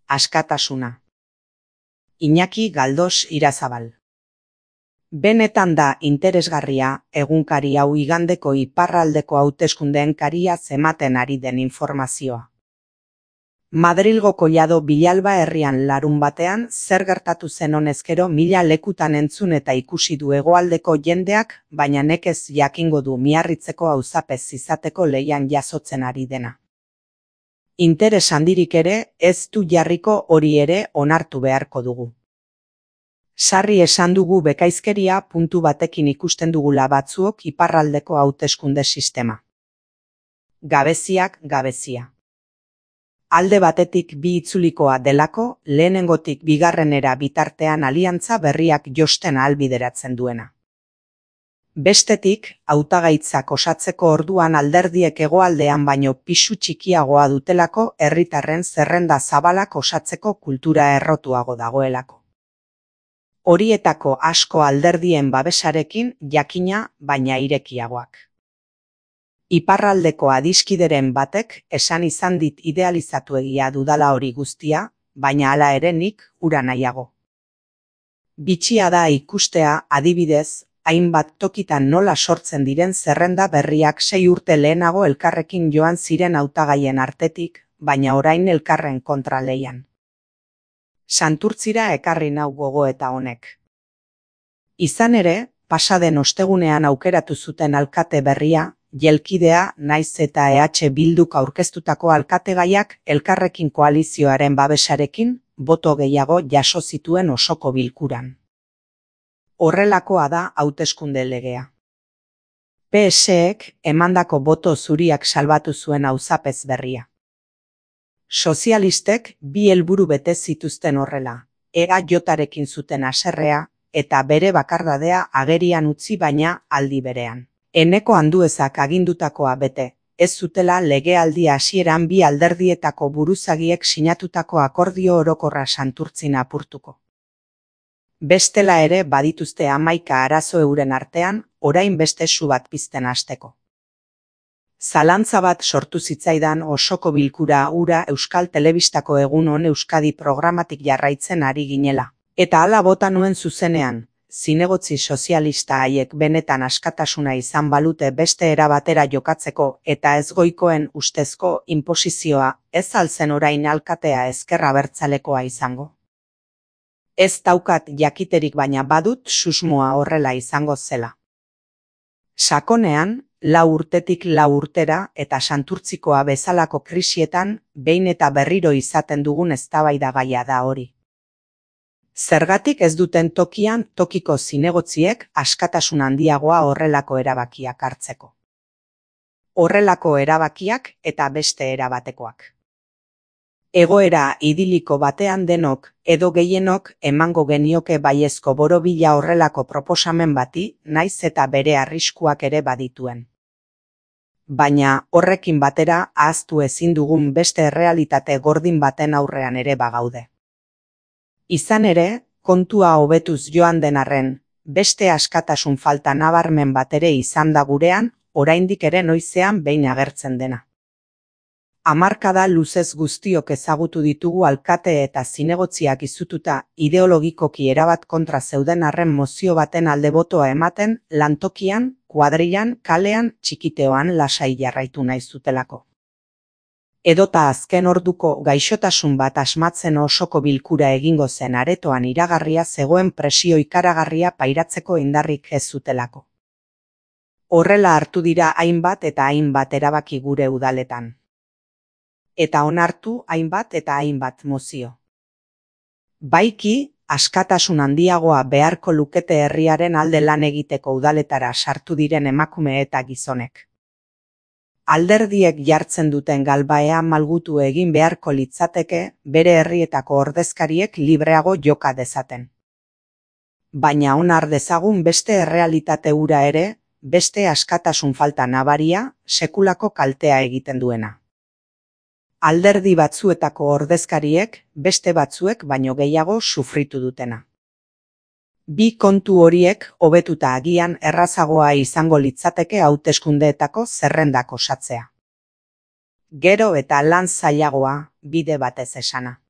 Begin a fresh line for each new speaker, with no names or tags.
askatasuna. Iñaki Galdos Irazabal. Benetan da interesgarria egunkari hau igandeko iparraldeko hauteskundeen kariaz ematen ari den informazioa. Madrilgo Collado Villalba herrian larun batean zer gertatu zen honezkero 1000 lekutan entzun eta ikusi du hegoaldeko jendeak, baina nekez jakingo du Miarritzeko auzapez izateko leian jasotzen ari dena. Interes handirik ere ez du jarriko, hori ere onartu beharko dugu. Sarri esan dugu bekaizkeria puntu batekin ikusten dugula batzuok iparraldeko hauteskunde sistema. Gabeziak gabezia. Alde batetik bi itzulikoa delako, lehenengotik bigarrenera bitartean aliantza berriak josten ahalbideratzen duena. Bestetik, hautagaitzak osatzeko orduan alderdiek hegoaldean baino pisu txikiagoa dutelako, herritarren zerrenda zabalak osatzeko kultura errotuago dagoelako. Horietako asko alderdien babesarekin, jakina, baina irekiagoak. Iparraldeko adiskideren batek esan izan dit idealizatu egia dudala hori guztia, baina hala ere nik hura nahiago. Bitxia da ikustea, adibidez, hainbat tokitan nola sortzen diren zerrenda berriak 6 urte lehenago elkarrekin joan ziren hautagaien artetik, baina orain elkarren kontra leian. Santurtzira ekarri nau gogoeta honek. Izan ere, pasaden ostegunean aukeratu zuten alkate berria, jelkidea naiz eta EH Bilduk aurkeztutako alkategaiak elkarrekin koalizioaren babesarekin boto gehiago jaso zituen osoko bilkuran. Horrelakoa da hauteskunde legea. PSek emandako boto zuriak salbatu zuen auzapez berria. Sozialistek bi helburu bete zituzten horrela, EAJarekin zuten haserrea eta bere bakardadea agerian utzi, baina aldi berean. Eneko Anduezak agindutakoa bete, ez zutela legealdi hasieran bi alderdietako buruzagiek sinatutako akordio orokorra Santurtzin apurtuko. Bestela ere badituzte 11 arazo euren artean, orain beste su bat pizten hasteko. Zalantza bat sortu zitzaidan osoko bilkura hura Euskal Telebistako Egun On Euskadi programatik jarraitzen ari ginela. Eta hala bota nuen zuzenean, zinegotzi sozialista haiek benetan askatasuna izan balute beste era batera jokatzeko eta ez goikoen ustezko inposizioa, ez alzen orain alkatea ezker abertzalekoa izango. Ez daukat jakiterik, baina badut susmoa horrela izango zela. Sakonean, 4 urtetik 4 urtera eta Santurtzikoa bezalako krisietan behin eta berriro izaten dugun eztabaidagaia da hori. Zergatik ez duten tokian tokiko zinegotziek askatasun handiagoa horrelako erabakiak hartzeko? Horrelako erabakiak eta beste erabatekoak. Egoera idiliko batean denok edo gehienok emango genioke baiezko borobila horrelako proposamen bati, naiz eta bere arriskuak ere badituen. Baina horrekin batera ahaztu ezin dugun beste errealitate gordin baten aurrean ere bagaude. Izan ere, kontua hobetuz joan den arren, beste askatasun falta nabarmen bat ere izan da gurean, oraindik ere noizean behin agertzen dena. Hamarkada luzez guztiok ezagutu ditugu alkate eta zinegotziak izututa ideologikoki erabat kontra zeuden arren mozio baten alde botoa ematen, lantokian, kuadrilan, kalean, txikiteoan lasai jarraitu nahi zutelako. Edota azken orduko gaixotasun bat asmatzen osoko bilkura egingo zen aretoan iragarria zegoen presio ikaragarria pairatzeko indarrik ez zutelako. Horrela hartu dira hainbat eta hainbat erabaki gure udaletan. Eta onartu hainbat eta hainbat mozio. Baiki, askatasun handiagoa beharko lukete herriaren alde lan egiteko udaletara sartu diren emakume eta gizonek. Alderdiek jartzen duten galbaea malgutu egin beharko litzateke bere herrietako ordezkariek libreago joka dezaten. Baina onar dezagun beste errealitate hura ere, beste askatasun falta nabaria, sekulako kaltea egiten duena. Alderdi batzuetako ordezkariek beste batzuek baino gehiago sufritu dutena. Bi kontu horiek hobetuta agian errazagoa izango litzateke hauteskundeetako zerrendak osatzea. Gero eta lan zailagoa, bide batez esana.